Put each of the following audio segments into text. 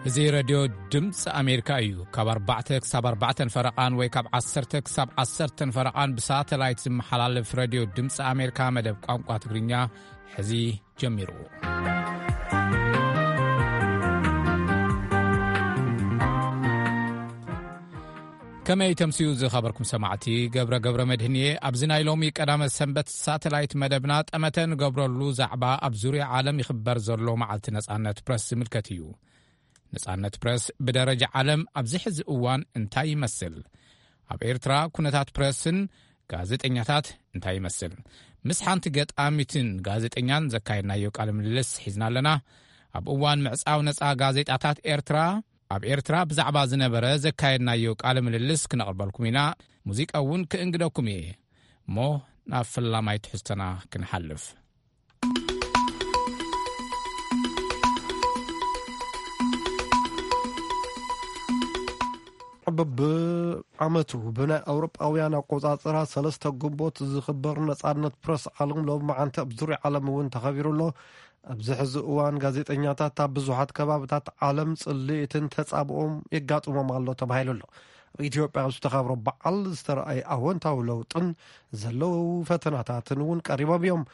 እዚ ሬድዮ ድምፂ ኣሜሪካ እዩ። ካብ ኣርባዕተ ክሳብ ኣርባዕተን ፈረቓን ወይ ካብ ዓሰርተ ክሳብ ዓሰርተን ፈረቓን ብሳተላይት ዝመሓላለፍ ሬድዮ ድምፂ ኣሜሪካ መደብ ቋንቋ ትግርኛ ሕዚ ጀሚሩ። ከመይ ተምስዩ ዝኸበርኩም ሰማዕቲ፣ ገብረ ገብረ መድህን እየ። ኣብዚ ናይ ሎሚ ቀዳመ ሰንበት ሳተላይት መደብና ጠመተ ንገብረሉ ዛዕባ ኣብ ዙርያ ዓለም ይኽበር ዘሎ መዓልቲ ነጻነት ፕረስ ዝምልከት እዩ። ነጻነት ፕረስ ብደረጃ ዓለም ኣብዚ ሕዚ እዋን እንታይ ይመስል? ኣብ ኤርትራ ኩነታት ፕረስን ጋዜጠኛታት እንታይ ይመስል? ምስ ሓንቲ ገጣሚትን ጋዜጠኛን ዘካየድናዮ ቃለ ምልልስ ሒዝና ኣለና። ኣብ እዋን ምዕጻው ነጻ ጋዜጣታት ኤርትራ፣ ኣብ ኤርትራ ብዛዕባ ዝነበረ ዘካየድናዮ ቃለ ምልልስ ክነቕርበልኩም ኢና። ሙዚቃ እውን ክእንግደኩም እየ። እሞ ናብ ፈላማይ ትሕዝቶና ክንሓልፍ። በብዓመቱ ብናይ ኣውሮጳውያን ኣቆጻጽራ ሰለስተ ግንቦት ዝኽበር ነጻነት ፕረስ ዓለም ሎሚ መዓንቲ ኣብ ዙርያ ዓለም እውን ተኸቢሩ ኣሎ። ኣብዚ ሕዚ እዋን ጋዜጠኛታት ኣብ ብዙሓት ከባብታት ዓለም ጽልኢትን ተጻብኦም የጋጥሞም ኣሎ ተባሂሉ ኣሎ። ኣብ ኢትዮጵያ ኣብ ዝተኸብሮ በዓል ዝተረኣየ ኣወንታዊ ለውጥን ዘለዉ ፈተናታትን እውን ቀሪቦም እዮም።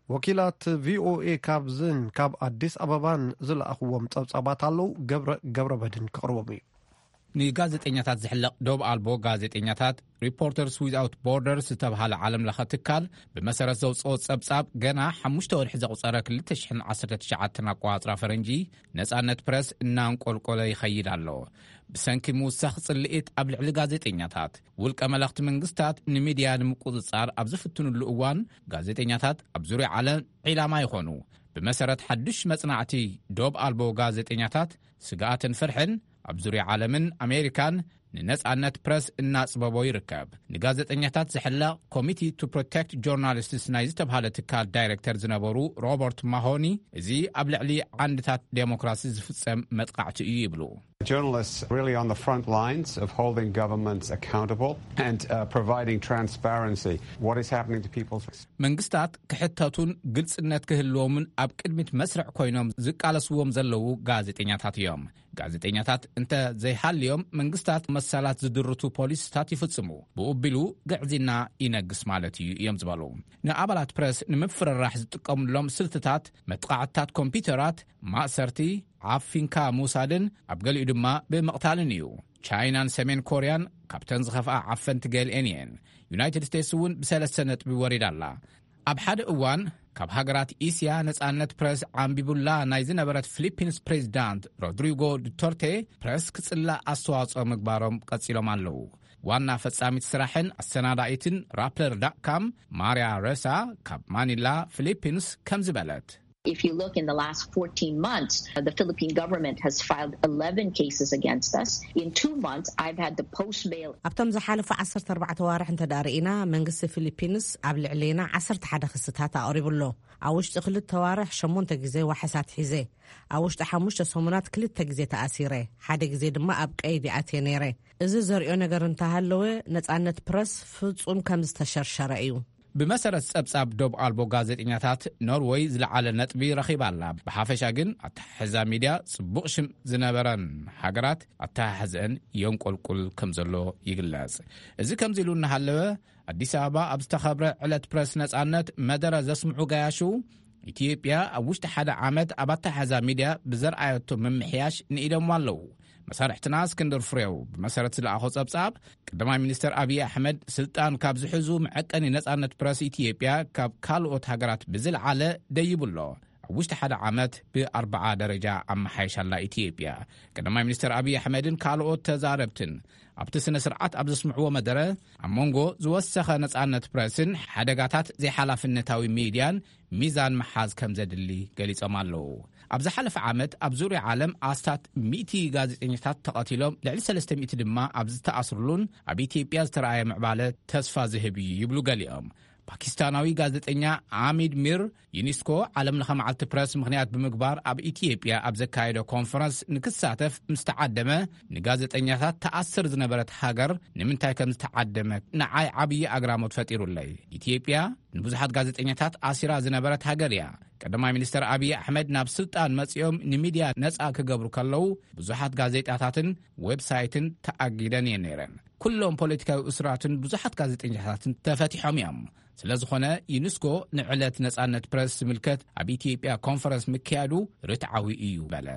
ወኪላት ቪኦኤ ካብዝን ካብ ኣዲስ ኣበባን ዝለኣኽዎም ጸብጻባት ኣለዉ። ገብረ ገብረ መድን ከቕርቦም እዩ። ንጋዜጠኛታት ዝሕለቕ ዶብ ኣልቦ ጋዜጠኛታት ሪፖርተርስ ዊዝኣውት ቦርደርስ ዝተብሃለ ዓለም ለኸ ትካል ብመሰረት ዘውፅኦ ጸብጻብ፣ ገና ሓሙሽተ ወርሒ ዘቑጸረ ክልተ ሽሕን ዓሰርተ ትሽዓተን ኣቆጻጽራ ፈረንጂ፣ ነጻነት ፕረስ እናንቆልቆለ ይኸይድ ኣሎ። ብሰንኪ ምውሳኽ ጽልኢት ኣብ ልዕሊ ጋዜጠኛታት፣ ውልቀ መለኽቲ መንግስታት ንሚድያ ንምቁጽጻር ኣብ ዝፍትኑሉ እዋን፣ ጋዜጠኛታት ኣብ ዙርያ ዓለም ዒላማ ይኾኑ። ብመሰረት ሓድሽ መጽናዕቲ ዶብ ኣልቦ ጋዜጠኛታት፣ ስግኣትን ፍርሕን ኣብ ዙርያ ዓለምን ኣሜሪካን ንነጻነት ፕረስ እናጽበቦ ይርከብ። ንጋዜጠኛታት ዝሕለቕ ኮሚቲ ቱ ፕሮቴክት ጆርናሊስትስ ናይ ዝተብሃለ ትካል ዳይሬክተር ዝነበሩ ሮበርት ማሆኒ፣ እዚ ኣብ ልዕሊ ዓንድታት ዴሞክራሲ ዝፍጸም መጥቃዕቲ እዩ ይብሉ። Journalists really on the front lines of holding governments accountable and uh, providing transparency. What is happening to people's መንግስታት ክሕተቱን ግልጽነት ክህልዎምን ኣብ ቅድሚት መስርዕ ኮይኖም ዝቃለስዎም ዘለዉ ጋዜጠኛታት እዮም። ጋዜጠኛታት እንተ ዘይሃልዮም፣ መንግስታት መሰላት ዝድርቱ ፖሊሲታት ይፍጽሙ፣ ብኡቢሉ ግዕዝና ይነግስ ማለት እዩ እዮም ዝበሉ። ንኣባላት ፕረስ ንምፍርራሕ ዝጥቀምሎም ስልትታት፣ መጥቃዕትታት ኮምፒውተራት፣ ማእሰርቲ፣ ዓፊንካ ምውሳድን ኣብ ገሊኡ ድማ ብምቕታልን እዩ። ቻይናን ሰሜን ኮርያን ካብተን ዝኸፍኣ ዓፈንቲ ገሊኤን እየን። ዩናይትድ ስቴትስ እውን ብሰለስተ ነጥቢ ወሪዳ ኣላ። ኣብ ሓደ እዋን ካብ ሃገራት እስያ ነጻነት ፕረስ ዓንቢቡላ ናይ ዝነበረት ፊሊፒንስ ፕሬዚዳንት ሮድሪጎ ዱተርቴ፣ ፕረስ ክጽላእ ኣስተዋጽኦ ምግባሮም ቀጺሎም ኣለዉ። ዋና ፈጻሚት ስራሕን ኣሰናዳኢትን ራፕለር ዳት ካም ማርያ ረሳ ካብ ማኒላ ፊሊፒንስ ከምዚ በለት። If you look in the last fourteen months, the Philippine government has filed eleven cases against us. In two months, I've had the post bail ኣብቶም ዝሓለፉ ዓሰርተ ኣርባዕተ ዋርሕ እንተ ደኣ ርኢና፣ መንግስቲ ፊሊፒንስ ኣብ ልዕሌና ዓሰርተ ሓደ ክስታት ኣቕሪቡ ኣሎ። ኣብ ውሽጢ ክልተ ዋርሕ ሸሞንተ ግዜ ዋሕሳት ሒዘ። ኣብ ውሽጢ ሓሙሽተ ሰሙናት ክልተ ግዜ ተኣሲረ፣ ሓደ ግዜ ድማ ኣብ ቀይዲ ኣትየ ነይረ። እዚ ዘርእዮ ነገር እንተሃለወ፣ ነጻነት ፕረስ ፍጹም ከም ዝተሸርሸረ እዩ። ብመሰረት ጸብጻብ ዶብ ኣልቦ ጋዜጠኛታት፣ ኖርወይ ዝለዓለ ነጥቢ ረኺባ ኣላ። ብሓፈሻ ግን ኣተሓሕዛ ሚድያ ጽቡቕ ሽም ዝነበረን ሃገራት ኣተሓሕዘአን የንቆልቁል ከም ዘሎ ይግለጽ። እዚ ከምዚ ኢሉ እናሃለወ፣ ኣዲስ ኣበባ ኣብ ዝተኸብረ ዕለት ፕረስ ነጻነት መደረ ዘስምዑ ገያሹ፣ ኢትዮጵያ ኣብ ውሽጢ ሓደ ዓመት ኣብ ኣተሓሕዛ ሚድያ ብዘርኣየቶ ምምሕያሽ ንኢዶምዋ ኣለዉ። መሳርሕትና እስክንድር ፍሬው ብመሰረት ዝለኣኾ ጸብጻብ፣ ቀዳማይ ሚኒስተር ኣብይ ኣሕመድ ስልጣን ካብ ዝሕዙ፣ መዐቀኒ ነጻነት ፕረስ ኢትዮጵያ ካብ ካልኦት ሃገራት ብዝለዓለ ደይቡ ኣሎ። ኣብ ውሽጢ ሓደ ዓመት ብኣርብዓ ደረጃ ኣመሓይሻ ኣላ ኢትዮጵያ። ቀዳማይ ሚኒስተር ኣብይ ኣሕመድን ካልኦት ተዛረብትን ኣብቲ ስነ ስርዓት ኣብ ዘስምዕዎ መደረ፣ ኣብ መንጎ ዝወሰኸ ነጻነት ፕረስን ሓደጋታት ዘይሓላፍነታዊ ሚድያን ሚዛን ምሓዝ ከም ዘድሊ ገሊጾም ኣለዉ። ኣብ ዝሓለፈ ዓመት ኣብ ዙርያ ዓለም ኣስታት ሚእቲ ጋዜጠኛታት ተቐቲሎም፣ ልዕሊ ሰለስተ ሚእቲ ድማ ኣብ ዝተኣስሩሉን ኣብ ኢትዮጵያ ዝተረኣየ ምዕባለ ተስፋ ዝህብ እዩ ይብሉ ገሊኦም። ፓኪስታናዊ ጋዜጠኛ ኣሚድ ሚር፣ ዩኒስኮ ዓለም ለኸ መዓልቲ ፕረስ ምኽንያት ብምግባር ኣብ ኢትዮጵያ ኣብ ዘካየዶ ኮንፈረንስ ንክሳተፍ ምስ ተዓደመ፣ ንጋዜጠኛታት ተኣስር ዝነበረት ሃገር ንምንታይ ከም ዝተዓደመ ንዓይ ዓብዪ ኣግራሞት ፈጢሩለይ። ኢትዮጵያ ንብዙሓት ጋዜጠኛታት ኣሲራ ዝነበረት ሃገር እያ። ቀዳማይ ሚኒስተር ኣብይ ኣሕመድ ናብ ስልጣን መጺኦም ንሚድያ ነጻ ክገብሩ ከለዉ፣ ብዙሓት ጋዜጣታትን ዌብሳይትን ተኣጊደን እየን ነይረን። ኩሎም ፖለቲካዊ እስራትን ብዙሓት ጋዜጠኛታትን ተፈቲሖም እዮም። ስለ ዝኾነ፣ ዩኒስኮ ንዕለት ነጻነት ፕረስ ዝምልከት ኣብ ኢትዮጵያ ኮንፈረንስ ምክያዱ ርትዓዊ እዩ በለ።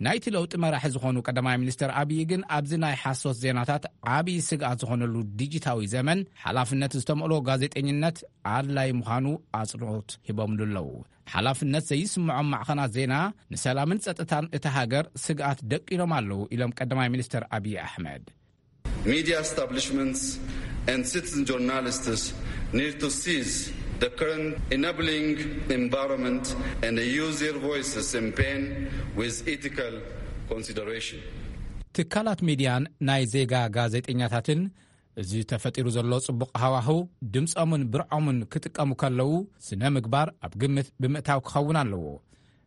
ናይቲ ለውጢ መራሒ ዝኾኑ ቀዳማይ ሚኒስተር ኣብይ ግን፣ ኣብዚ ናይ ሓሶት ዜናታት ዓብዪ ስግኣት ዝኾነሉ ዲጂታዊ ዘመን፣ ሓላፍነት ዝተመልኦ ጋዜጠኝነት ኣድላይ ምዃኑ ኣጽንኦት ሂቦምሉ ኣለዉ። ሓላፍነት ዘይስምዖም ማዕኸናት ዜና ንሰላምን ጸጥታን እታ ሃገር ስግኣት ደቂኖም ኣለዉ ኢሎም ቀዳማይ ሚኒስተር ኣብይ ኣሕመድ። Media establishments and citizen journalists need to seize the current enabling environment and use their voices and pain with ethical consideration. ትካላት ሚድያን ናይ ዜጋ ጋዜጠኛታትን፣ እዚ ተፈጢሩ ዘሎ ጽቡቕ ሃዋህው ድምጾምን ብርዖምን ክጥቀሙ ከለዉ፣ ስነ ምግባር ኣብ ግምት ብምእታው ክኸውን ኣለዎ።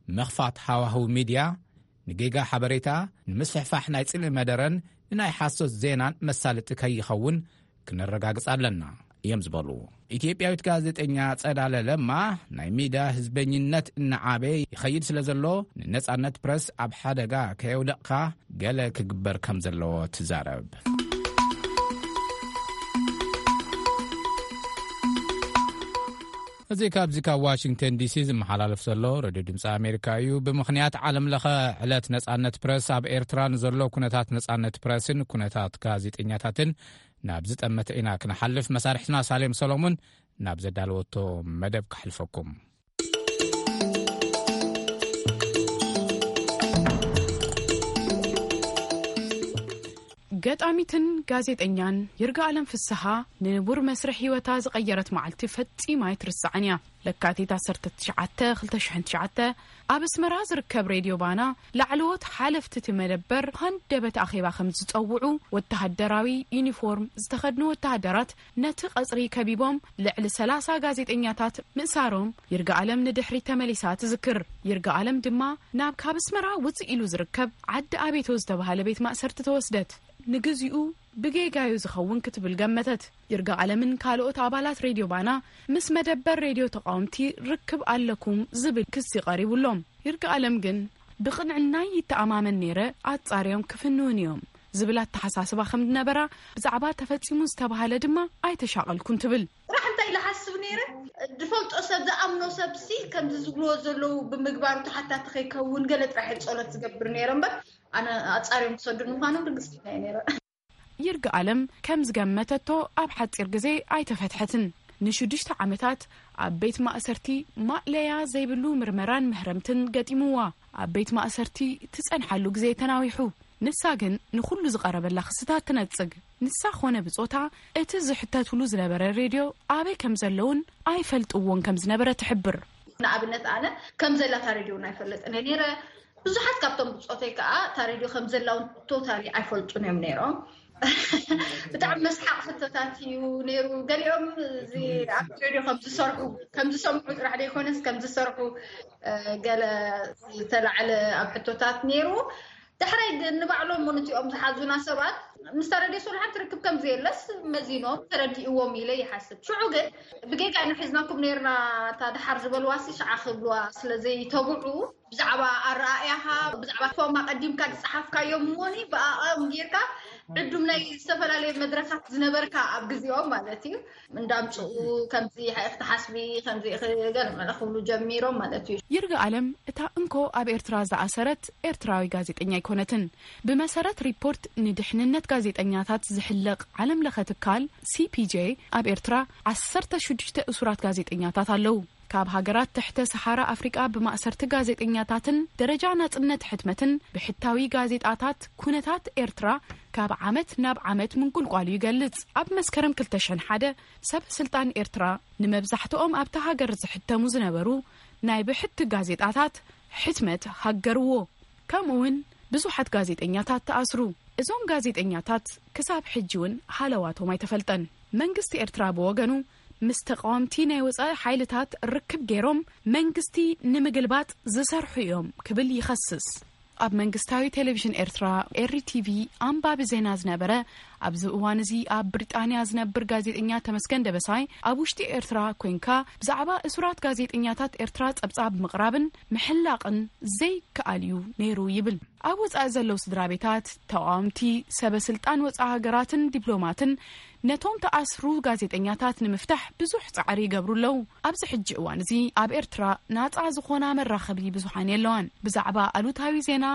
ምኽፋት ሃዋህው ሚድያ ንጌጋ ሓበሬታ፣ ንምስፍሕፋሕ ናይ ጽልኢ መደረን ንናይ ሓሶት ዜናን መሳለጢ ከይኸውን ክነረጋግጽ ኣለና እዮም ዝበሉ። ኢትዮጵያዊት ጋዜጠኛ ጸዳለ ለማ፣ ናይ ሚድያ ህዝበኝነት እናዓበየ ይኸይድ ስለ ዘሎ፣ ንነጻነት ፕረስ ኣብ ሓደጋ ከየውደቕካ ገለ ክግበር ከም ዘለዎ ትዛረብ። እዚ ካብዚ ካብ ዋሽንግተን ዲሲ ዝመሓላለፍ ዘሎ ሬድዮ ድምፂ ኣሜሪካ እዩ። ብምኽንያት ዓለም ለኸ ዕለት ነጻነት ፕረስ፣ ኣብ ኤርትራ ንዘሎ ኩነታት ነጻነት ፕረስን ኩነታት ጋዜጠኛታትን ናብ ዝጠመተ ኢና ክንሓልፍ። መሳርሕትና ሳሌም ሰሎሙን ናብ ዘዳለወቶ መደብ ከሕልፈኩም። ገጣሚትን ጋዜጠኛን ይርጋኣለም ፍስሃ፣ ንንቡር መስርሕ ህይወታ ዝቐየረት መዓልቲ ፈጺማ ኣይትርስዓን እያ። ለካቲት ዓሰርተ ትሽዓተ፣ ክልተ ሽሕን ትሽዓተ፣ ኣብ ኣስመራ ዝርከብ ሬድዮ ባና፣ ላዕለዎት ሓለፍቲ እቲ መደበር ሃንደበት ኣኼባ ከም ዝጸውዑ፣ ወተሃደራዊ ዩኒፎርም ዝተኸድኑ ወተሃደራት ነቲ ቀጽሪ ከቢቦም፣ ልዕሊ ሰላሳ ጋዜጠኛታት ምእሳሮም ይርጋኣለም ንድሕሪት ተመሊሳ ትዝክር። ይርጋኣለም ድማ፣ ናብ ካብ ኣስመራ ውጽእ ኢሉ ዝርከብ ዓዲ ኣቤቶ ዝተባህለ ቤት ማእሰርቲ ተወስደት። ንግዚኡ ብጌጋዩ ዝኸውን ክትብል ገመተት። ይርጋኣለምን ካልኦት ኣባላት ሬድዮ ባና ምስ መደበር ሬድዮ ተቓወምቲ ርክብ ኣለኩም ዝብል ክሲ ቀሪቡሎም። ይርጋኣለም ግን፣ ብቕንዕናይ ይተኣማመን ነይረ፣ ኣጻርዮም ክፍንውን እዮም ዝብል ኣተሓሳስባ ከም ዝነበራ፣ ብዛዕባ ተፈጺሙ ዝተባህለ ድማ ኣይተሻቐልኩን ትብል። ጥራሕ እንታይ ኢለ ሓስብ ነይረ፣ ዝፈልጦ ሰብ፣ ዝኣምኖ ሰብሲ ከምዚ ዝብልዎ ዘለዉ ብምግባሩ ተሓታቲ ከይከውን ገለ ጥራሕ እየ ጸሎት ዝገብር ነይረ እምበር፣ ኣነ ኣጻርዮም ክሰዱን ምዃኖም ርግጽ እየ ነይረ። ይርጋኣለም ከም ዝገመተቶ ኣብ ሓጺር ግዜ ኣይተፈትሐትን። ንሽዱሽተ ዓመታት ኣብ ቤት ማእሰርቲ ማእለያ ዘይብሉ ምርመራን መህረምትን ገጢምዋ። ኣብ ቤት ማእሰርቲ ትጸንሓሉ ግዜ ተናዊሑ። ንሳ ግን ንኹሉ ዝቐረበላ ክስታት ትነጽግ። ንሳ ኾነ ብጾታ እቲ ዝሕተትሉ ዝነበረ ሬድዮ ኣበይ ከም ዘለውን ኣይፈልጥዎን ከም ዝነበረ ትሕብር። ንኣብነት ኣነ ከም ዘላ እታ ሬድዮ እውን ኣይፈልጥን እየ ነይረ። ብዙሓት ካብቶም ብጾተይ ከኣ እታ ሬድዮ ከም ዘላ እውን ቶታሊ ኣይፈልጡን እዮም ነይሮም። ብጣዕሚ መስሓቕ ሕቶታት እዩ ነይሩ። ገሊኦም እዚ ኣብ ሬድዮ ከም ዝሰርሑ፣ ከም ዝሰምዑ ጥራሕ ዘይኮነስ ከም ዝሰርሑ፣ እ፣ ገለ ዝተላዕለ ኣብ ሕቶታት ነይሩ። ዳሕራይ ግን ንባዕሎም እውን እቲኦም ዝሓዙና ሰባት ምስታ ረድዮ ሶልሓን ትርክብ ከም ዘየለስ መዚኖም ተረዲእዎም ኢለ ይሓስብ። ሽዑ ግን ብጌጋ ኢና ሒዝናኩም ነይርና፣ እታ ደሓር ዝበልዋሲ ሽዓ ክብልዋ ስለ ዘይተብዑ ብዛዕባ ኣረኣእያኻ፣ ብዛዕባ ፎም ኣቐዲምካ ዝጸሓፍካዮም እሞኒ ብኣኦም ጌርካ ዕዱም ናይ ዝተፈላለየ መድረኻት ዝነበርካ ኣብ ግዜኦም ማለት እዩ። እንዳምጽኡ ከምዚ ኢኻ ኢኺ ትሓስቢ፣ ከምዚ ኢኺ ገለ መለ ክብሉ ጀሚሮም ማለት እዩ። ይርጋ ኣለም እታ እንኮ ኣብ ኤርትራ ዝኣሰረት ኤርትራዊ ጋዜጠኛ ኣይኮነትን። ብመሰረት ሪፖርት ንድሕንነት ጋዜጠኛታት ዝሕለቕ ዓለም ለኸ ትካል ሲፒጄ፣ ኣብ ኤርትራ ዓሰርተ ሽዱሽተ እሱራት ጋዜጠኛታት ኣለዉ። ካብ ሃገራት ትሕተ ሰሓራ ኣፍሪቃ ብማእሰርቲ ጋዜጠኛታትን ደረጃ ናጽነት ሕትመትን ብሕታዊ ጋዜጣታት ኩነታት ኤርትራ ካብ ዓመት ናብ ዓመት ምንቁልቋሉ ይገልጽ። ኣብ መስከረም ክልተ ሽሕን ሓደ ሰብ ስልጣን ኤርትራ ንመብዛሕትኦም ኣብታ ሃገር ዝሕተሙ ዝነበሩ ናይ ብሕቲ ጋዜጣታት ሕትመት ሃገርዎ። ከምኡ እውን ብዙሓት ጋዜጠኛታት ተኣስሩ። እዞም ጋዜጠኛታት ክሳብ ሕጂ እውን ሃለዋቶም ኣይተፈልጠን። መንግስቲ ኤርትራ ብወገኑ ምስ ተቃወምቲ ናይ ወጻኢ ሓይልታት ርክብ ገይሮም መንግስቲ ንምግልባጥ ዝሰርሑ እዮም ክብል ይኸስስ። ኣብ መንግስታዊ ቴሌቪዥን ኤርትራ፣ ኤሪ ቲቪ፣ ኣንባቢ ዜና ዝነበረ፣ ኣብዚ እዋን እዚ ኣብ ብሪጣንያ ዝነብር ጋዜጠኛ ተመስገን ደበሳይ፣ ኣብ ውሽጢ ኤርትራ ኮንካ ብዛዕባ እሱራት ጋዜጠኛታት ኤርትራ ጸብጻብ ምቕራብን ምሕላቕን ዘይከኣል እዩ ነይሩ ይብል። ኣብ ወጻኢ ዘለዉ ስድራ ቤታት፣ ተቓወምቲ፣ ሰበ ስልጣን ወጻኢ ሃገራትን ዲፕሎማትን ነቶም ተኣስሩ ጋዜጠኛታት ንምፍታሕ ብዙሕ ጻዕሪ ይገብሩ ኣለዉ። ኣብዚ ሕጂ እዋን እዚ ኣብ ኤርትራ ናጻ ዝኾና መራኸቢ ብዙሓን የለዋን። ብዛዕባ ኣሉታዊ ዜና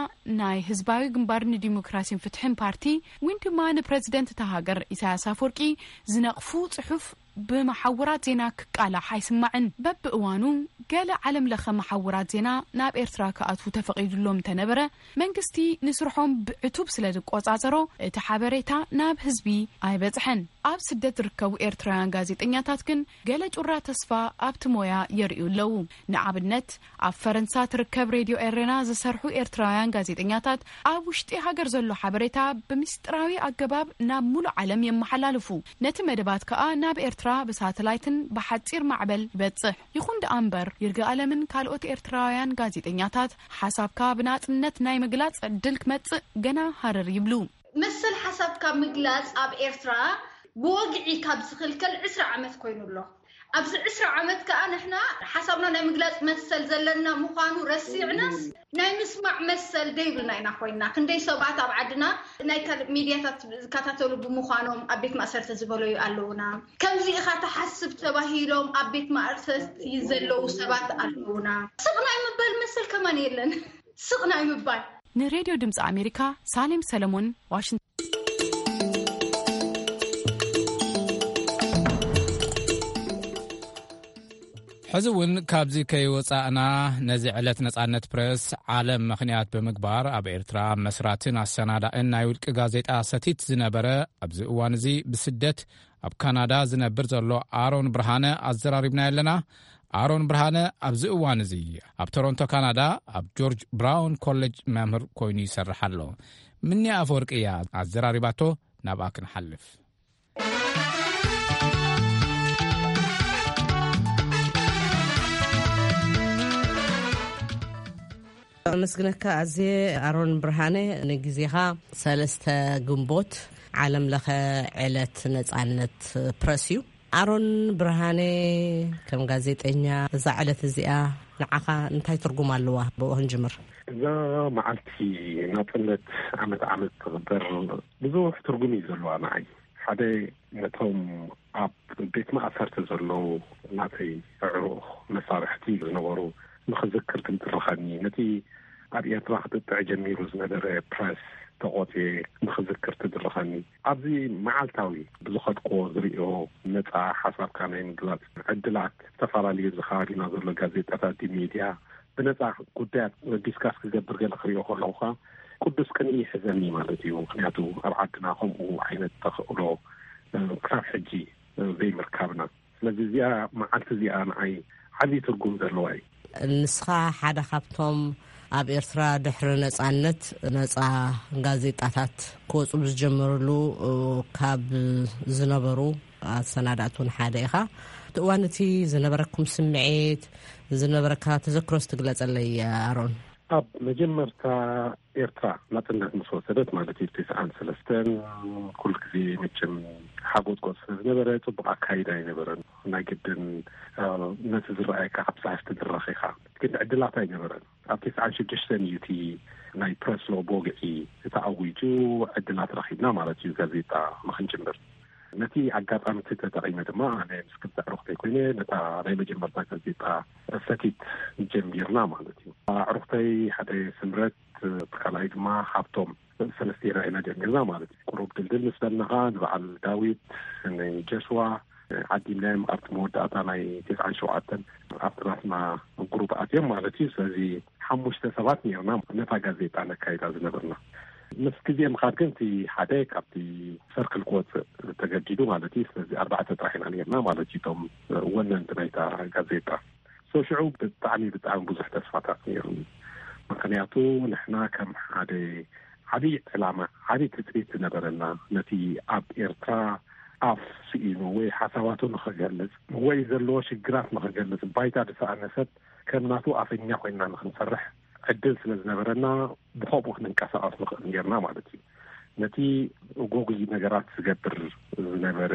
ናይ ህዝባዊ ግንባር ንዲሞክራሲን ፍትሕን ፓርቲ፣ ወይን ድማ ንፕረዚደንት እታ ሃገር ኢሳያስ ኣፈወርቂ ዝነቕፉ ጽሑፍ ብመሓውራት ዜና ክቃላሕ ኣይስማዕን። በብእዋኑ ገለ ዓለም ለኸ መሓውራት ዜና ናብ ኤርትራ ክኣትዉ ተፈቒዱሎም እንተነበረ፣ መንግስቲ ንስርሖም ብዕቱብ ስለ ዝቆጻጸሮ፣ እቲ ሓበሬታ ናብ ህዝቢ ኣይበጽሐን። ኣብ ስደት ዝርከቡ ኤርትራውያን ጋዜጠኛታት ግን ገለ ጩራ ተስፋ ኣብቲ ሞያ የርእዩ ኣለዉ። ንኣብነት፣ ኣብ ፈረንሳ ትርከብ ሬድዮ ኤረና ዝሰርሑ ኤርትራውያን ጋዜጠኛታት፣ ኣብ ውሽጢ ሃገር ዘሎ ሓበሬታ ብምስጢራዊ ኣገባብ ናብ ሙሉእ ዓለም የመሓላልፉ። ነቲ መደባት ከኣ ናብ ኤርትራ ብሳተላይትን ብሓጺር ማዕበል ይበጽሕ። ይኹን ደኣ እምበር፣ ይርጋኣለምን ካልኦት ኤርትራውያን ጋዜጠኛታት፣ ሓሳብካ ብናጽነት ናይ ምግላጽ ዕድል ክመጽእ ገና ሃረር ይብሉ። መሰል ሓሳብካ ምግላጽ ኣብ ኤርትራ ብወግዒ ካብ ዝኽልከል ዕስራ ዓመት ኮይኑ ኣሎ። ኣብዚ ዕስራ ዓመት ከኣ ንሕና ሓሳብና ናይ ምግላጽ መሰል ዘለና ምዃኑ ረሲዕናስ፣ ናይ ምስማዕ መሰል ደይብልና ኢና ኮይንና። ክንደይ ሰባት ኣብ ዓድና ናይ ካልእ ሚድያታት ዝከታተሉ ብምዃኖም ኣብ ቤት ማእሰርቲ ዝበለዩ ኣለዉና። ከምዚ ኢኻ ትሓስብ ተባሂሎም ኣብ ቤት ማእሰርቲ ዘለዉ ሰባት ኣለዉና። ስቕ ናይ ምባል መሰል ከማን የለን። ስቕ ናይ ምባል። ንሬድዮ ድምፂ ኣሜሪካ፣ ሳሌም ሰለሞን፣ ዋሽንግተን። ሕዚ እውን ካብዚ ከይወጻእና፣ ነዚ ዕለት ነጻነት ፕረስ ዓለም ምኽንያት ብምግባር፣ ኣብ ኤርትራ መስራትን ኣሰናዳእን ናይ ውልቂ ጋዜጣ ሰቲት ዝነበረ፣ ኣብዚ እዋን እዚ ብስደት ኣብ ካናዳ ዝነብር ዘሎ ኣሮን ብርሃነ ኣዘራሪብናዮ ኣለና። ኣሮን ብርሃነ ኣብዚ እዋን እዚ ኣብ ቶሮንቶ ካናዳ ኣብ ጆርጅ ብራውን ኮሌጅ መምህር ኮይኑ ይሰርሕ ኣሎ። ምኒ ኣፈወርቂ እያ ኣዘራሪባቶ። ናብኣ ክንሓልፍ። ኣመስግነካ ኣዝየ ኣሮን ብርሃነ ንግዜኻ። ሰለስተ ግንቦት ዓለም ለኸ ዕለት ነጻነት ፕረስ እዩ። ኣሮን ብርሃነ፣ ከም ጋዜጠኛ፣ እዛ ዕለት እዚኣ ንዓኻ እንታይ ትርጉም ኣለዋ? ብኡ ክንጅምር። እዛ መዓልቲ ናጽነት ዓመት ዓመት ትኽበር ብዙሕ ትርጉም እዩ ዘለዋ ንዓይ። ሓደ፣ ነቶም ኣብ ቤት ማእሰርቲ ዘለዉ ናተይ ኣዕሩኽ መሳርሕቲ ዝነበሩ ንኽዝክር ትድርኸኒ። ነቲ ኣብ ኤርትራ ክጥጥዕ ጀሚሩ ዝነበረ ፕረስ ተቖጽየ ንኽዝክር ትድርኸኒ። ኣብዚ መዓልታዊ ብዝኸድክዎ ዝርእዮ ነጻ ሓሳብካ ናይ ምግላጽ ዕድላት፣ ዝተፈላለዩ እዚ ከባቢና ዘሎ ጋዜጣታት፣ ሚድያ ብነጻ ጉዳያት ዲስካስ ክገብር ገለ ክርእዮ ከለኹ ኸኣ ቅዱስ ቅንኢ ይሕዘኒ ማለት እዩ። ምኽንያቱ ኣብ ዓድና ከምኡ ዓይነት ተኽእሎ፣ እ፣ ክሳብ ሕጂ፣ እ፣ ዘይምርካብና። ስለዚ እዚኣ መዓልቲ እዚኣ ንዓይ ዓብዪ ትርጉም ዘለዋ እዩ። ንስኻ ሓደ ካብቶም ኣብ ኤርትራ ድሕሪ ነጻነት ነጻ ጋዜጣታት ክወጹ ብዝጀመሩሉ፣ እ፣ ካብ ዝነበሩ ኣሰናዳእቲ እውን ሓደ ኢኻ። እቲ እዋን እቲ ዝነበረኩም ስምዒት፣ ዝነበረካ ተዘክሮስ ትግለጸለይ ኣሮን? ኣብ መጀመርታ ኤርትራ ናጽነት ምስ ወሰደት ማለት እዩ፣ ትስዓን ሰለስተን፣ ኩሉ ግዜ መቸም ሓጎጽጎጽ ስለ ዝነበረ ጽቡቕ ኣካይዳ ኣይነበረን። ናይ ግድን፣ እ፣ ነቲ ዝረኣየካ ካብ ሰሓሽ ትድረኽ ኢኻ። ግን ዕድላት ኣይነበረን። ኣብ ትስዓን ሽዱሽተን እዩ እቲ ናይ ፕረስ ሎ ብወግዒ ተኣዊጁ፣ ዕድላት ረኺብና ማለት እዩ፣ ጋዜጣ ንኽንጅምር። ነቲ ኣጋጣሚ እቲ ተጠቒመ ድማ፣ ኣነ ምስ ክልተ ኣዕሩኽተይ ኮይነ ነታ ናይ መጀመርታ ጋዜጣ ሰቲት ጀሚርና ማለት እዩ። ኣዕሩኽተይ ሓደ ስምረት፣ እቲ ካልኣይ ድማ ሃብቶም፣ ሰለስቴና ኢና ጀሚርና ማለት እዩ። ቁሩብ ድልድል ምስ በልና ኸኣ ንበዓል ዳዊት፣ ንጀስዋ ዓዲምናዮም። ኣብቲ መወዳእታ ናይ ተስዓን ሸውዓተን ኣብቲ ናትና ግሩፕ ኣትዮም ማለት እዩ። ስለዚ ሓሙሽተ ሰባት ነርና ነታ ጋዜጣ ነካይዳ ዝነበርና። ምስ ግዜ ምኻድ ግን እቲ ሓደ ካብቲ ሰርክል ክወፅእ ተገዲዱ ማለት እዩ። ስለዚ ኣርባዕተ ጥራሕ ኢና ነርና ማለት እዩ፣ እቶም ወነንቲ ናይታ ጋዜጣ። So ሽዑ ብጣዕሚ፣ ብጣዕሚ ብዙሕ ተስፋታት ነይሩኒ። ምኽንያቱ ንሕና ከም ሓደ ዓብዪ ዕላማ፣ ዓብዪ ትጽቢት ዝነበረና፣ ነቲ ኣብ ኤርትራ ኣፍ ስኢኑ ወይ ሓሳባቱ ንኽገልጽ ወይ ዘለዎ ሽግራት ንኽገልጽ ባይታ ዝሰኣነ ሰብ ከም ናቱ ኣፈኛ ኮይንና ንኽንሰርሕ ዕድል ስለ ዝነበረና፣ ብኸምኡ ክንንቀሳቐስ ንኽእል ኔርና ማለት እዩ። ነቲ ጎጉይ ነገራት ዝገብር ዝነበረ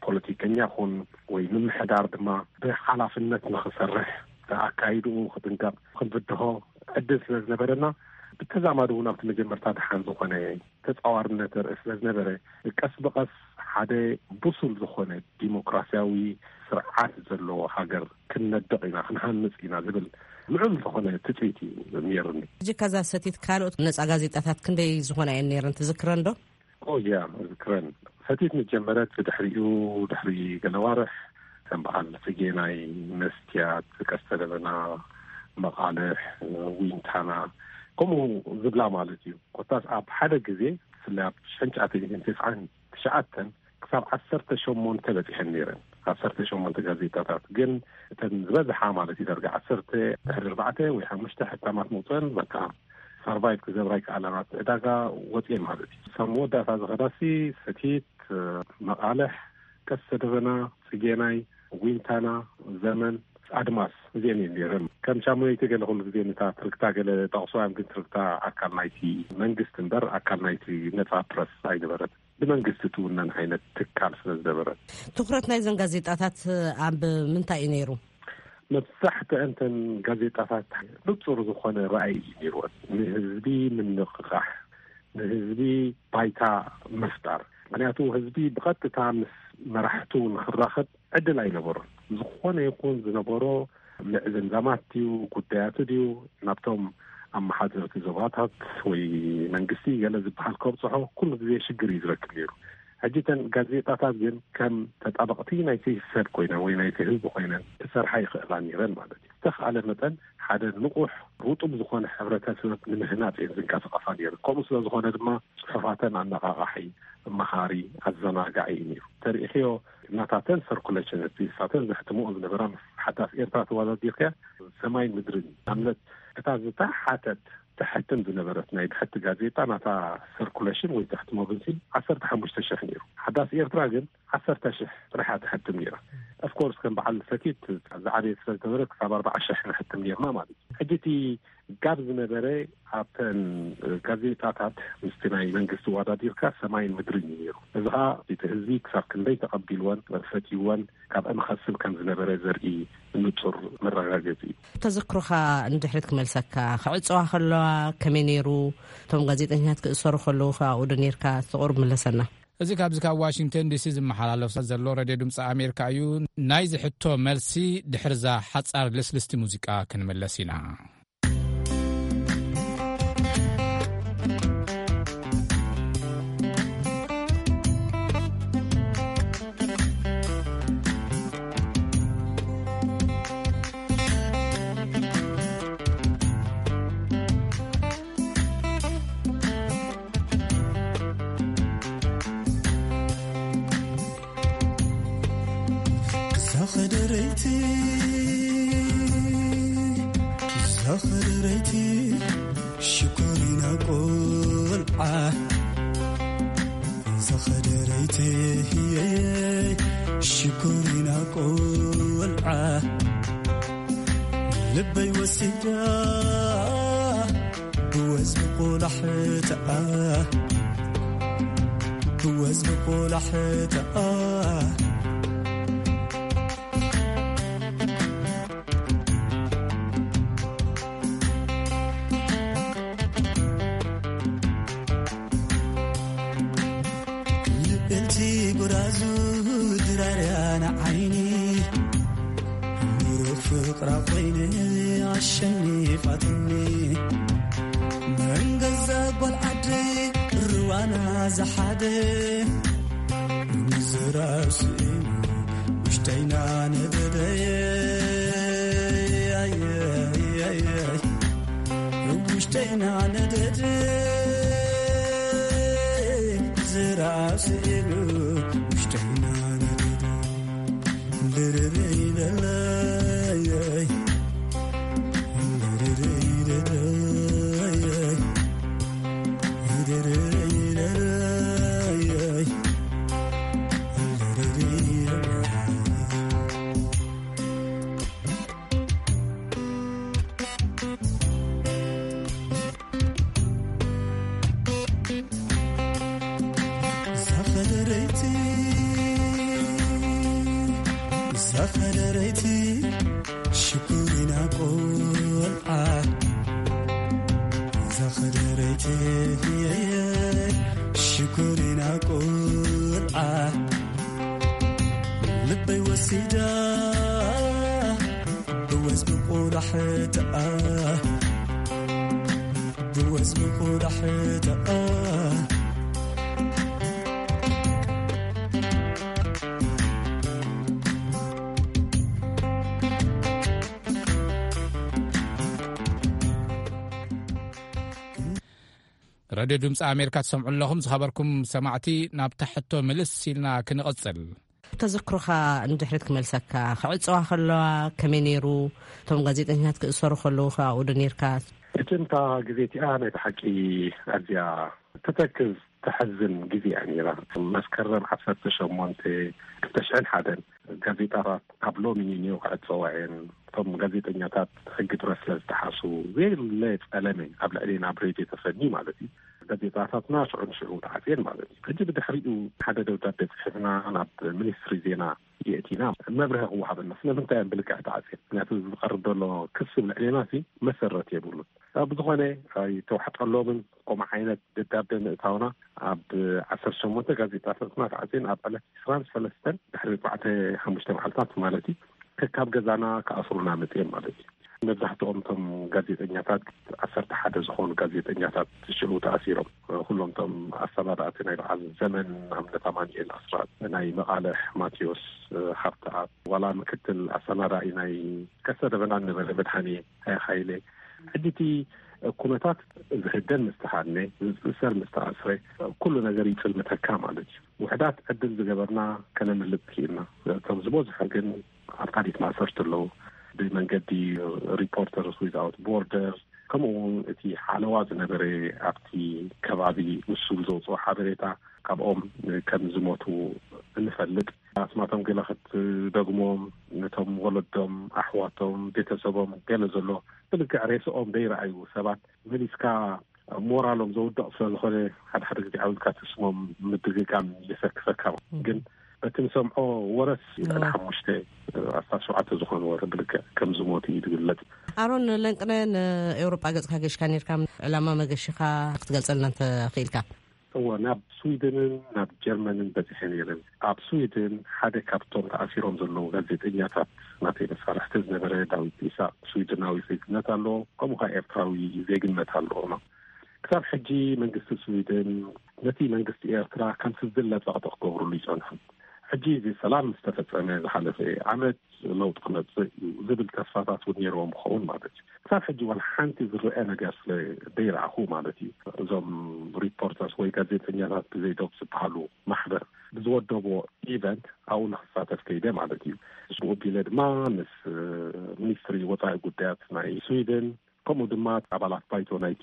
ፖለቲከኛ ኹን ወይ ምምሕዳር ድማ ብሓላፍነት ንኽሰርሕ፣ ኣካይድኡ ክጥንቀቕ ክንፍትሖ ዕድል ስለ ዝነበረና፣ ብተዛማዲ እውን ኣብቲ መጀመርታ ደሓን ዝኾነ ተጻዋርነት ርእስ ስለ ዝነበረ፣ ቀስ ብቐስ ሓደ ብሱል ዝኾነ ዲሞክራሲያዊ ስርዓት ዘለዎ ሃገር ክንነድቕ ኢና፣ ክንሃንጽ ኢና ዝብል ልዑል ዝኾነ ትጽቢት እዩ ነይርኒ። ሕጂ ከዛ ሰቲት ካልኦት ነጻ ጋዜጣታት ክንደይ ዝኾና እየን ነይረን ትዝክረን ዶ? ኦ ያ፣ እዝክረን። ሰቲት መጀመረት፣ ድሕሪኡ፣ ድሕሪ ገለ ዋርሕ፣ ከም በዓል ጽጌናይ፣ መስትያት፣ ቀስተ ደበና፣ መቓልሕ፣ ዊንታና፣ ከምኡ ዝብላ ማለት እዩ። ኮታስ ኣብ ሓደ ግዜ፣ ብፍላይ ኣብ ሽሕን ትሽዓተ ሚእትን ተስዓን ትሽዓተን ክሳብ ዓሰርተ ሸሞንተ በጺሐን ነይረን። ዓሰርተ ሸሞንተ ጋዜጣታት። ግን እተን ዝበዝሓ ማለት እዩ፣ ዳርጋ ዓሰርተ ድሕሪ ኣርባዕተ ወይ ሓሙሽተ ሕታማት መውፅአን፣ በቃ፣ ሰርቫይቭ ክገብራ ይከኣላ፣ ናብቲ ዕዳጋ ወፅኤን ማለት እዩ። ክሳብ መወዳእታ ዝኸዳሲ፣ ሰቲት፣ መቓልሕ፣ ቀስተ ደበና፣ ጽጌናይ፣ ዊንታና፣ ዘመን፣ ኣድማስ፣ እዚአን እየን ነይረን። ከም ሻሙነይቲ ገለ ኩሉ ግዜ ነታ ትርክታ ገለ ጠቕሶ እዮም፣ ግን ትርክታ ኣካል ናይቲ መንግስቲ እምበር ኣካል ናይቲ ነጻ ፕረስ ኣይነበረት። ብመንግስቲ ትውነን ዓይነት ትካል ስለ ዝነበረት። ትኹረት ናይዘን ጋዜጣታት ኣብ ምንታይ እዩ ነይሩ? መብዛሕትአን እተን ጋዜጣታት ንጹር ዝኾነ ራእይ እዩ ነይርወን። ንህዝቢ ምንቕቓሕ፣ ንህዝቢ ባይታ ምፍጣር። ምኽንያቱ ህዝቢ ብቐጥታ ምስ መራሕቱ ንኽራኸብ ዕድል ኣይነበሮን። ዝኾነ ይኹን ዝነበሮ ምዕዝምዛማት ድዩ፣ ጉዳያቱ ድዩ፣ ናብቶም ኣመሓደርቲ ዞባታት ወይ መንግስቲ ገለ ዝበሃል ከብጽሖ ኩሉ ግዜ ሽግር እዩ ዝረክብ ነይሩ። ሕጂ እተን ጋዜጣታት ግን ከም ተጣበቕቲ ናይቲ ሰብ ኮይነን ወይ ናይቲ ህዝቢ ኮይነን ክሰርሓ ይኽእላ ነይረን ማለት እዩ። ዝተኽኣለ መጠን ሓደ ንቑሕ ርጡብ ዝኾነ ሕብረተሰብ ንምህናጽ እየን ዝንቀሳቐሳ ነይረን። ከምኡ ስለ ዝኾነ ድማ ጽሑፋተን ኣነቓቓሒ፣ መሃሪ፣ ኣዘናጋዒ እዩ ነይሩ። ተሪኢኽዮ፣ ናታተን ሰርኩሌሽን፣ እቲ ንሳተን ዘሕትምኦ ዝነበራ ምስ ሓዳስ ኤርትራ ተወዳዲርካ ሰማይን ምድርን እዩ። ንኣብነት፣ እታ ዝተሓተት ተሕትም ዝነበረት ናይ ብሕቲ ጋዜጣ፣ ናታ ሰርኩሌሽን ወይ ተሕትሞ ብንሲል ዓሰርተ ሓሙሽተ ሽሕ ነይሩ። ሓዳስ ኤርትራ ግን ዓሰርተ ሽሕ ጥራሕ እያ ተሕትም ነይራ። ኦፍኮርስ፣ ከም በዓል ሰቲት ዝዓበየ ስለ ዝነበረ፣ ክሳብ ኣርባዓ ሽሕ ነሕትም ነይርና ማለት እዩ። ሕጂ እቲ ጋብ ዝነበረ ኣብተን ጋዜጣታት ምስቲ ናይ መንግስቲ ዋዳዲርካ ሰማይን ምድርን እዩ ነይሩ። እዚ ኸኣ እቲ ህዝቢ ክሳብ ክንደይ ተቐቢልወን ፈትይወን ካብ እንኸስብ ከም ዝነበረ ዘርኢ ንጹር መረጋገጺ እዩ። ተዘክሮኻ ንድሕሪት ክመልሰካ፣ ክዕጸዋ ከለዋ ከመይ ነይሩ? እቶም ጋዜጠኛታት ክእሰሩ ከለዉ ከ ኣብኡ ዶ ነይርካ? እስቲ ቁሩብ ምለሰና። እዚ ካብዚ ካብ ዋሽንግተን ዲሲ ዝመሓላለፍ ዘሎ ሬድዮ ድምፂ ኣሜሪካ እዩ። ናይዚ ሕቶ መልሲ ድሕርዛ ሓጻር ልስልስቲ ሙዚቃ ክንምለስ ኢና። ዛኸደረይቲ ዛኸደረይቲ ሽኮሪና ቆልዓ ዛኸደረይቲ ሽኮሪና ቆልዓ ልበይ ወሲዳ ብወዝቢ ቆላሕትኣ ብወዝቢ ቆላሕትኣ ልዕልቲ ጎራዙ ድራርያ ንዓይኒ ምሩኽ ፍቕራ ኮይነ ኣሸኒፋትኒ መን ገዛ ጓል ዓደይ ርዋና ዝሓደ ምዝራብ ስኢኑ ውሽጠይና ነደደ ውሽጠይና ነደደ ዝራብ ስኢኑ ውሽጠይና ነደደ ልርርይ ለለይ ልርርይ ለለይ ከደረይቲ ሽኩሪና ቆልዓ፣ እዛ ከደረይቲ ሽኩሪና ቆልዓ፣ ልበይ ወሲዳ ብወዝ ብቁዳሕትኣ፣ ብወዝ ብቁዳሕትኣ። ራድዮ ድምፂ ኣሜሪካ ትሰምዑ ኣለኹም። ዝኸበርኩም ሰማዕቲ፣ ናብታ ሕቶ ምልስ ኢልና ክንቕፅል። ተዘክሮኻ ንድሕሪት ክመልሰካ፣ ክዕፀዋ ከለዋ ከመይ ነይሩ? እቶም ጋዜጠኛታት ክእሰሩ ከለዉ ከ ኣብኡ ዶ ነይርካ? እቲ እንታ ግዜ እቲኣ ናይ ብሓቂ ኣዝያ ተተክዝ፣ ተሕዝን ግዜ እያ ነይራ። መስከረም ዓሰርተ ሸሞንተ ክልተ ሽሕን ሓደን ጋዜጣታት ካብ ሎሚ ንንዮ ክዕፀዋ እየን። እቶም ጋዜጠኛታት ሕጊ ፕረስ ስለ ዝጠሓሱ፣ ዘየለ ጸለመ ኣብ ልዕሌና ኣብ ሬድዮ ተፈኒ ማለት እዩ። ጋዜጣታትና ሽዑ ንሽዑ ተዓፅየን ማለት እዩ። ሕጂ ብድሕሪኡ ሓደ ደብዳቤ ፅሒፍና ናብ ሚኒስትሪ ዜና የእቲና፣ መብርሂ ክወሃበና። ስለምንታይ እየን ብልክዕ ተዓፅየን? ምክንያቱ ዝቐርብ ዘሎ ክሲ ኣብ ልዕሌና ሲ መሰረት የብሉን። ኣብ ዝኾነ ኣይተዋሕጠሎምን። ከምኡ ዓይነት ደብዳቤ ምእታውና ኣብ ዓሰርተ ሸሞንተ ጋዜጣታትና ተዓፅየን ኣብ ዕለት ዕስራን ሰለስተን ድሕሪ ኣርባዕተ ሓሙሽተ መዓልታት ማለት እዩ፣ ከካብ ገዛና ክኣስሩና መፅዮም ማለት እዩ። መብዛሕትኦም እቶም ጋዜጠኛታት፣ ዓሰርተ ሓደ ዝኾኑ ጋዜጠኛታት ሽዑ ተኣሲሮም። ኩሎም እቶም ኣሰናዳእቲ ናይ በዓል ዘመን፣ ንኣብነት ኣማኑኤል ኣስራት፣ ናይ መቓልሕ ማቴዎስ ሃብተኣብ፣ ዋላ ምክትል ኣሰናዳኢ ናይ ቀስተ ደበና ነበረ መድሃኔ ሃይለ። ሕጂ እቲ ኩነታት ዝህደን ምስ ተሃድነ፣ ዝእሰር ምስ ተኣስረ፣ ኩሉ ነገር ይጽልምተካ ማለት እዩ። ውሕዳት ዕድል ዝገበርና ከነምልጥ ክኢልና። እቶም ዝበዝሑ ግን ኣብ ካሊት ማእሰርቲ ኣለዉ። ብመንገዲ ሪፖርተርስ ዊዝኣውት ቦርደር፣ ከምኡ እውን እቲ ሓለዋ ዝነበረ ኣብቲ ከባቢ ንሱ ብዘውፅኦ ሓበሬታ ካብኦም ከም ዝሞቱ እንፈልጥ። ኣስማቶም ገለ ክትደግሞም፣ ነቶም ወለዶም፣ ኣሕዋቶም፣ ቤተሰቦም ገለ ዘሎ ብልክዕ ሬስኦም ዘይረኣዩ ሰባት መሊስካ ሞራሎም ዘውድቕ ስለ ዝኾነ፣ ሓደ ሓደ ግዜ ዓው ኢልካ እቲ ስሞም ምድግጋም የሰክፈካ። ግን በቲ ንሰምዖ ወረስ፣ ልዕሊ ሓሙሽተ ኣስታት ሸውዓተ ዝኾኑ ወረ ብልክዕ ከም ዝሞቱ እዩ ዝግለጽ። ኣሮን ለንቅነ፣ ንኤውሮጳ ገጽካ ገሽካ ነርካ፣ ዕላማ መገሽኻ ክትገልጸልና እንተ ክኢልካ? እወ፣ ናብ ስዊድንን ናብ ጀርመንን በጺሐ ነይረ። ኣብ ስዊድን ሓደ ካብቶም ተኣሲሮም ዘለዉ ጋዜጠኛታት ናተይ መሳርሕቲ ዝነበረ ዳዊት ኢሳቅ፣ ስዊድናዊ ዜግነት ኣለዎ፣ ከምኡ ከኣ ኤርትራዊ ዜግነት ኣለዎ። ክሳብ ሕጂ መንግስቲ ስዊድን ነቲ መንግስቲ ኤርትራ ከም ስዝለ ጸቕጢ ክገብርሉ ይጸንሑ። ሕጂ እዚ ሰላም ምስ ተፈጸመ ዝሓለፈ ዓመት ለውጢ ክመጽእ እዩ ዝብል ተስፋታት እውን ነይርዎም ክኸውን ማለት እዩ። ክሳብ ሕጂ ዋላ ሓንቲ ዝረአ ነገር ስለ ዘይረኣኹ ማለት እዩ። እዞም ሪፖርተርስ ወይ ጋዜጠኛታት ብዘይ ዶብ ዝበሃሉ ማሕበር ብዝወደቦ ኢቨንት ኣብኡ ንክሳተፍ ከይደ ማለት እዩ። ብኡ ኣቢለ ድማ ምስ ሚኒስትሪ ወጻኢ ጉዳያት ናይ ስዊድን፣ ከምኡ ድማ ኣባላት ባይቶ ናይቲ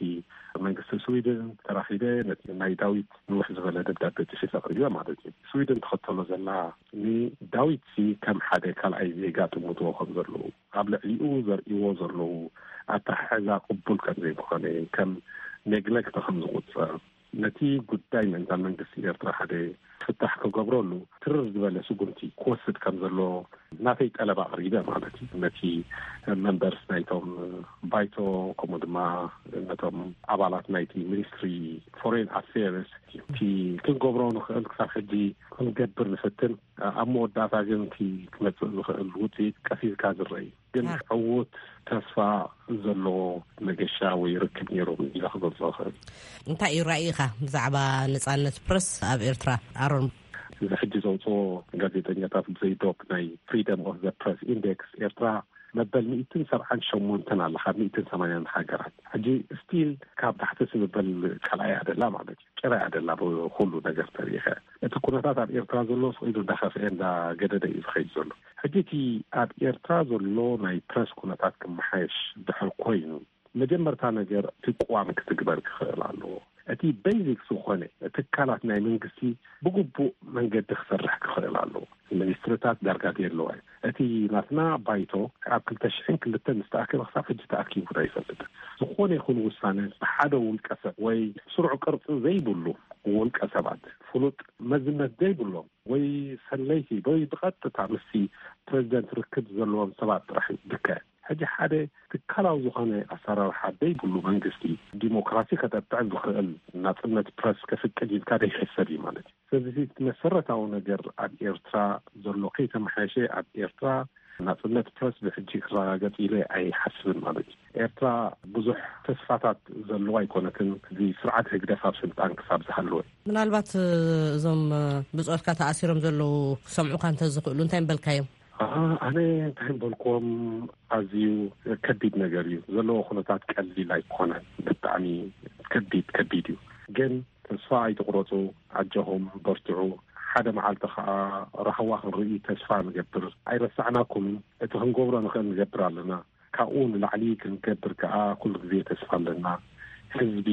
መንግስቲ ስዊድን ተራኺበ ነቲ ናይ ዳዊት ንውሕ ዝበለ ደብዳቤ ጽሒፈ ኣቕሪበ ማለት እዩ። ስዊድን ትኽተሎ ዘላ ንዳዊት ሲ ከም ሓደ ካልኣይ ዜጋ ጥምትዎ ከም ዘለዉ፣ ኣብ ልዕሊኡ ዘርእይዎ ዘለዉ ኣተሓሕዛ ቅቡል ከም ዘይምኾነ፣ ከም ኔግለክት ከም ዝቑጸር፣ ነቲ ጉዳይ ምእንታን መንግስቲ ኤርትራ ሓደ ፍታሕ ክገብረሉ ትርር ዝበለ ስጉምቲ ክወስድ ከም ዘሎ ናተይ ጠለብ ኣቕሪበ ማለት እዩ። ነቲ መንበርስ ናይቶም ባይቶ፣ ከምኡ ድማ ነቶም ኣባላት ናይቲ ሚኒስትሪ ፎሬን ኣፌርስ፣ እቲ ክንገብሮ ንኽእል ክሳብ ሕጂ ክንገብር ንፍትን፣ ኣብ መወዳእታ ግን እቲ ክመጽእ ዝኽእል ውጽኢት ቀስ ኢልካ ዝረአ እዩ። ግን ዕዉት ተስፋ ዘለዎ መገሻ ወይ ርክብ ነይሮም ኢለ ክገልጾ እኽእል። እንታይ እዩ ራእይኻ ብዛዕባ ነጻነት ፕረስ ኣብ ኤርትራ፣ ኣሮን? እዚ ሕጂ ዘውጽኦ ጋዜጠኛታት ብዘይ ዶብ ናይ ፍሪደም ኦፍ ዘ ፕረስ ኢንዴክስ፣ ኤርትራ መበል ሚእትን ሰብዓን ሸሞንተን ኣላ ካብ ሚእትን ሰማንያን ሃገራት። ሕጂ ስቲል ካብ ታሕቲ ስምበል ካልኣይ ኣደላ ማለት እዩ። ጭራ ኣደላ ብኩሉ ነገር ተሪኸ። እቲ ኩነታት ኣብ ኤርትራ ዘሎ ስቕ ኢሉ እንዳኸፍአ እንዳገደደ እዩ ዝኸይድ ዘሎ። ሕጂ እቲ ኣብ ኤርትራ ዘሎ ናይ ፕረስ ኩነታት ክመሓየሽ ድሕር ኮይኑ፣ መጀመርታ ነገር እቲ ቅዋም ክትግበር ክኽእል ኣለዎ። እቲ ቤዚክ ዝኾነ ትካላት ናይ መንግስቲ ብግቡእ መንገዲ ክሰርሕ ክኽእል ኣለዎ። ሚኒስትርታት ዳርጋ የለዋይ። እቲ ናትና ባይቶ ኣብ ክልተ ሽሕን ክልተን ዝተኣከበ ክሳብ ሕጂ ተኣኪቡ ኣይፈልጥን። ዝኾነ ይኹን ውሳነ ብሓደ ውልቀ ሰብ ወይ ስሩዕ ቅርጺ ዘይብሉ ውልቀ ሰባት፣ ፍሉጥ መዝነት ዘይብሎም ወይ ሰለይቲ ወይ ብቐጥታ ምስቲ ፕሬዚደንት ርክብ ዘለዎም ሰባት ጥራሕ እዩ ዝካየድ። ሕጂ ሓደ ትካላዊ ዝኾነ ኣሰራርሓ ዘይብሉ መንግስቲ ዲሞክራሲ ከጠጥዕ ዝኽእል ናጽነት ፕረስ ከፍቅድ ኢልካ ዘይሕሰብ እዩ ማለት እዩ። ስለዚ እቲ መሰረታዊ ነገር ኣብ ኤርትራ ዘሎ ከይተመሓየሸ፣ ኣብ ኤርትራ ናጽነት ፕረስ ብሕጂ ክረጋገጽ ኢለ ኣይሓስብን ማለት እዩ። ኤርትራ ብዙሕ ተስፋታት ዘለዋ ኣይኮነትን፣ እዚ ስርዓት ህግደፍ ኣብ ስልጣን ክሳብ ዝሃለወ። ምናልባት እዞም ብጾትካ ተኣሲሮም ዘለዉ ክሰምዑካ እንተዝኽእሉ እንታይ ምበልካዮም? ኣነ እንታይ ምበልክዎም፣ ኣዝዩ ከቢድ ነገር እዩ ዘለዎ። ኩነታት ቀሊል ኣይኮነን። ብጣዕሚ ከቢድ ከቢድ እዩ። ግን ተስፋ ኣይትቑረጹ፣ ኣጆኹም በርትዑ። ሓደ መዓልቲ ኸኣ ራህዋ ክንርኢ ተስፋ ንገብር። ኣይረሳዕናኩምን። እቲ ክንገብሮ ንኽእል ንገብር ኣለና። ካብኡ ንላዕሊ ክንገብር ከኣ ኩሉ ግዜ ተስፋ ኣለና። ህዝቢ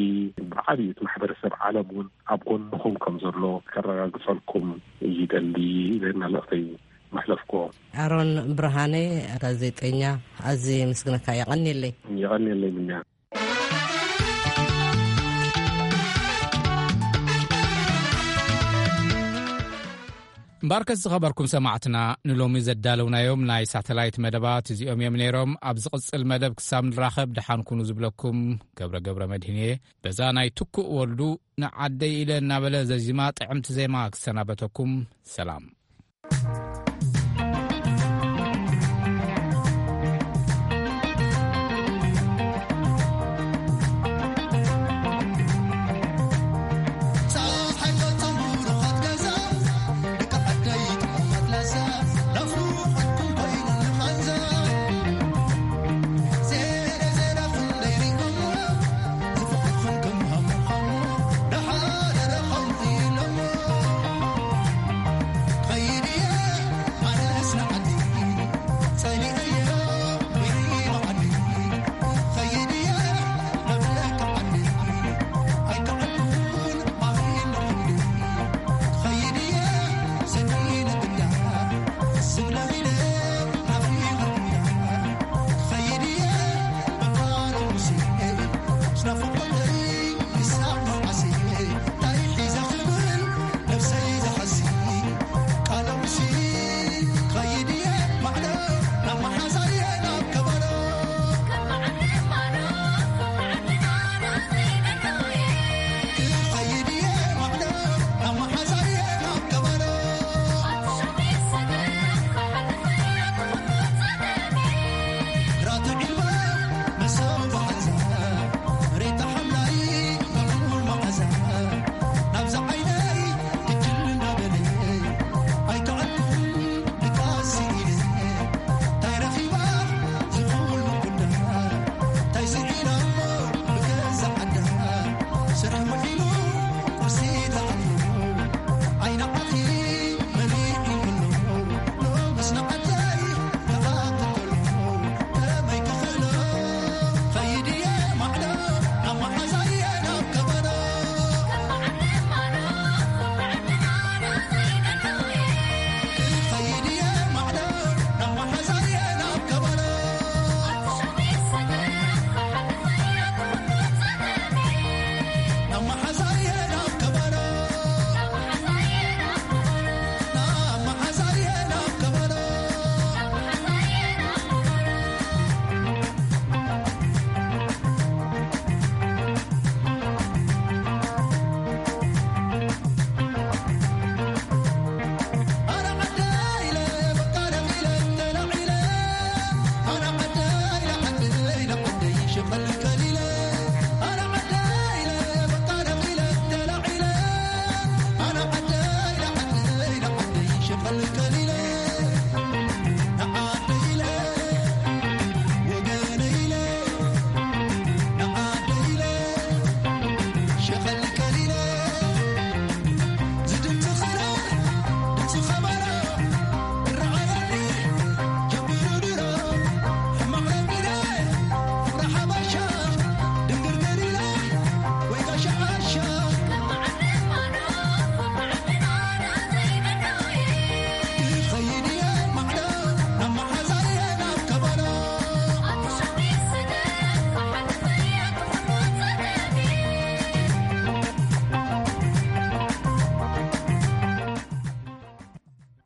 ብዓብዩ እቲ ማሕበረሰብ ዓለም እውን ኣብ ጎንኹም ከም ዘሎ ከረጋግጸልኩም ይደሊ ኢለ መልእኽተይ መሕለፍኩ። ኣሮን ብርሃነ፣ ጋዜጠኛ፣ ኣዝየ የመስግነካ። የቐንየለይ። የቐንየለይ ምንያ። እምበኣርከስ ዝኸበርኩም ሰማዕትና፣ ንሎሚ ዘዳለውናዮም ናይ ሳተላይት መደባት እዚኦም እዮም ነይሮም። ኣብ ዝቕጽል መደብ ክሳብ ንራኸብ ደሓን ኩኑ ዝብለኩም ገብረ ገብረ መድህን እየ። በዛ ናይ ትኩእ ወልዱ ንዓደይ ኢለ እናበለ ዘዚማ ጥዕምቲ ዜማ ክሰናበተኩም። ሰላም።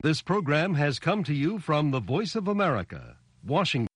This program has come to you from the Voice of America, Washington.